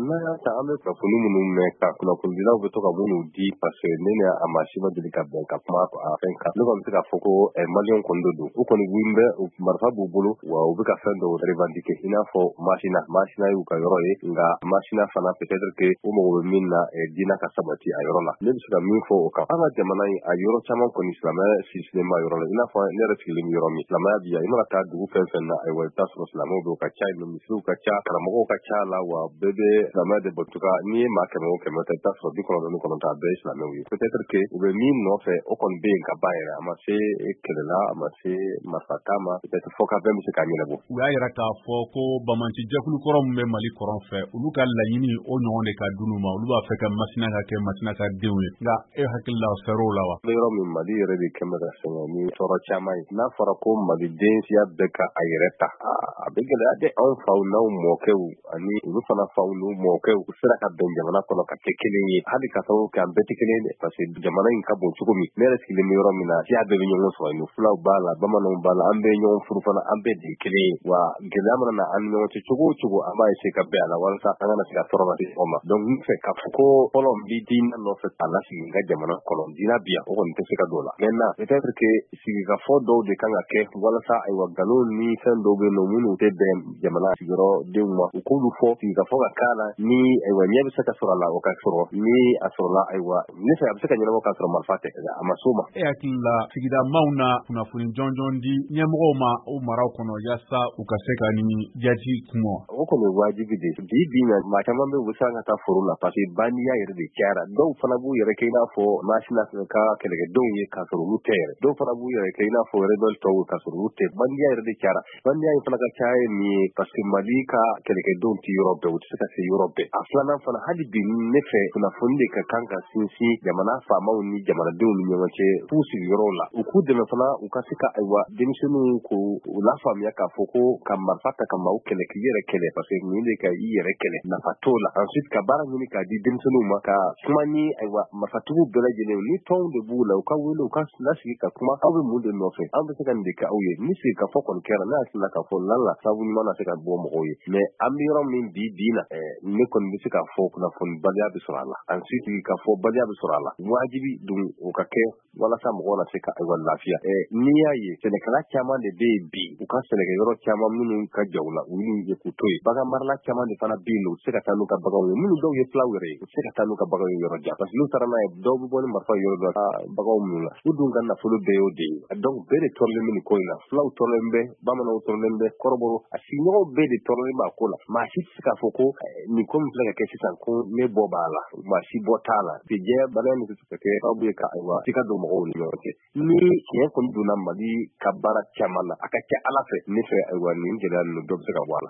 N'an y'a ta, an bɛ kunnafoni minnu mɛn, ka kunnafonidilaw bɛ to ka minnu di, parce que ne ni a maa si ma deli ka bɛn ka kuma a fɛn kan, ne kɔni bɛ se k'a fɔ ko Maliyɛnw kɔni de don. U kɔni wulilen bɛ, marifa b'u bolo, wa u bɛ ka fɛn dɔw revendiquer, i n'a fɔ Masina. Masina y'u ka yɔrɔ ye, nka Masina fana, peut-être que u mago bɛ min na, diinɛ ka sabati a yɔrɔ la. Ne bɛ se ka min fɔ o kan, an ka jamana in, a yɔrɔ caman kɔni, silamɛya sinsinnen b'a yɔrɔ la. I n'a fɔ ne yɛrɛ sigilen bɛ yɔrɔ min, silamɛya bi yan. I mana taa dugu fɛn fɛn na, ayiwa, i bɛ taa sɔrɔ silamɛw bɛ, u ka ca yen, misiriw ka ca, karamɔgɔw ka ca la, wa bɛɛ bɛ silamɛya de bato. N'i ye maa 100 o 100 ta, i bɛ taa sɔrɔ 99 a bɛɛ ye silamɛw ye. Peut-être que u bɛ min nɔfɛ, o kɔni bɛ yen ka ban yɛrɛ. A ma se kɛlɛ la, a ma se marifata ma. Peut-être fɔ ka bɛn bɛ se k'a ɲɛnabɔ. U y'a yira k'a fɔ ko banbaanci jɛkulu kɔrɔ min bɛ Mali kɔrɔn fɛ, olu ka laɲini o ɲɔgɔn de ka d'olu ma. Olu b'a fɛ ka Masina ka kɛ Masina ka denw ye. Nka e hakili la, fɛrɛw la wa? Bɛ yɔrɔ min, Mali yɛrɛ de kɛn bɛ ka sɛgɛn ni tɔɔrɔ caman ye. N'a fɔra ko Maliden siya bɛɛ ka a yɛrɛ ta, a bɛ gɛlɛya dɛ. Anw faw n'anw mɔkɛw ani olu fana faw n'u mɔkɛw, u sera ka bɛn jamana kɔnɔ ka kɛ kelen ye, hali ka sababu kɛ an bɛɛ tɛ kelen ye dɛ, parce que jamana in ka bon cogo min. Ne yɛrɛ sigilen bɛ yɔrɔ min na, siya bɛɛ bɛ ɲɔgɔn sɔrɔ yen. Fulaw b'a la, bamananw b'a la, an bɛɛ ye ɲɔgɔn furu fana, an bɛɛ de ye kelen ye. Wa gɛlɛya mana na an ni ɲɔgɔn cɛ cogo o cogo, an b'a essayer ka bɛn a la walasa an kana se ka tɔɔrɔ lase ɲɔgɔn ma. Donc n fɛ k'a fɔ ko fɔlɔ, n bɛ diinɛ nɔfɛ k'a lasigi n ka jamana kɔnɔ, diinɛ bi yan, o kɔni tɛ se ka don o la. Maintenant, peut-être que sigikafɔ dɔw de kan ka kɛ walasa, ayiwa, nkalon ni fɛn dɔw bɛ yen nɔ minnu tɛ bɛn jamana sigiyɔrɔdenw ma, u k'olu fɔ, sigikafɔ ka k'a la. Ni, ayiwa, ɲɛ bɛ se ka sɔrɔ a la, o ka sɔrɔ. Ni a sɔrɔla, ayiwa, ne fɛ a bɛ se ka ɲɛnabɔ k'a sɔrɔ marifa tɛ, a ma s'o ma. E hakili la, sigida maaw na kunnafoni jɔnjɔn di ɲɛmɔgɔw ma o maraw kɔnɔ, yaasa u ka se ka ni jati kun? O kɔni ye wajibi de bi bi na. Maa caman bɛ, u bɛ siran ka taa foro la, parce que bandiya yɛrɛ de cayara. Dɔw fana b'u yɛrɛ kɛ i n'a fɔ Masina ka kɛlɛkɛdenw ye, k'a sɔrɔ olu tɛ yɛrɛ. Dɔw fana b'u yɛrɛ kɛ i n'a fɔ rebelle tɔw, k'a sɔrɔ olu tɛ. Bandiya yɛrɛ de cayara. Bandiya in fana ka caya ye min ye, parce que Mali ka kɛlɛkɛdenw tɛ yɔrɔ bɛɛ, u tɛ se ka se yɔrɔ bɛɛ. A filanan fana, hali bi ne fɛ, kunnafoni de ka kan ka sinsin jamana faamaw ni jamanadenw ni ɲɔgɔn cɛ f'u sigiyɔrɔw la. U k'u dɛmɛ fana, u ka se ka, ayiwa, denmisɛnninw ko u lafaamuya k'a fɔ ko ka marifa ta ka maaw kɛlɛ, k'i yɛrɛ kɛlɛ, parce que nin de ka i yɛrɛ kɛlɛ, nafa t'o la. Ensuite, ka baara ɲini k'a di denmisɛnninw ma, ka kuma ni, ayiwa, marifatigiw bɛɛ lajɛlen ni tɔnw de b'u la, u ka wele, u ka lasigi ka kuma: aw bɛ mun de nɔfɛ? Aw bɛ se ka nin de kɛ aw ye. Ni sigi ka fɔ kɔni kɛra, ne hakili la k'a fɔ lala sababu ɲuman na se ka bɔ mɔgɔw ye. Mais an bɛ yɔrɔ min bi bi na, ne kɔni bɛ se k'a fɔ kunnafonibaliya bɛ sɔrɔ a la, ensuite ka fɔ baliya bɛ sɔrɔ a la. Wajibi dun o ka kɛ walasa mɔgɔw na se ka, ayiwa, lafiya. N'i y'a ye, sɛnɛkɛla caman de bɛ yen bi, u ka sɛnɛkɛyɔrɔ caman minnu ka ja u la, u y'u ye k'u to yen. Bagan marala caman de fana bɛ yen, u tɛ se ka taa n'u ka baganw ye. Minnu dɔw ye filaw yɛrɛ ye, u tɛ se ka taa n'u ka baganw ye yɔrɔ jan, parce que n'u taara n'a ye, dɔw bɛ bɔ ni marifa yɔrɔ dɔ la, baganw minnu la. U dun ka nafolo bɛɛ y'o de ye. Donc bɛɛ de tɔɔrɔlen bɛ nin ko in na. Fulaw tɔɔrɔlen bɛ, bamananw tɔɔrɔlen bɛ, kɔrɔbɔrɔ, a sigiɲɔgɔnw bɛɛ de tɔɔrɔlen b'a ko la. Maa si tɛ se k'a fɔ ko nin ko min filɛ ka kɛ sisan, ko ne bɔ b'a la. Maa si bɔ t'a la. Jɛ bana in bɛ se ka kɛ sababu ye ka, ayiwa, sika don mɔgɔw ni ɲɔgɔn cɛ. Ni tiɲɛ kɔni donna Mali ka baara caman na, a ka ca Ala fɛ, ne fɛ, ayiwa, nin gɛlɛya ninnu, dɔ bɛ se ka bɔ a la.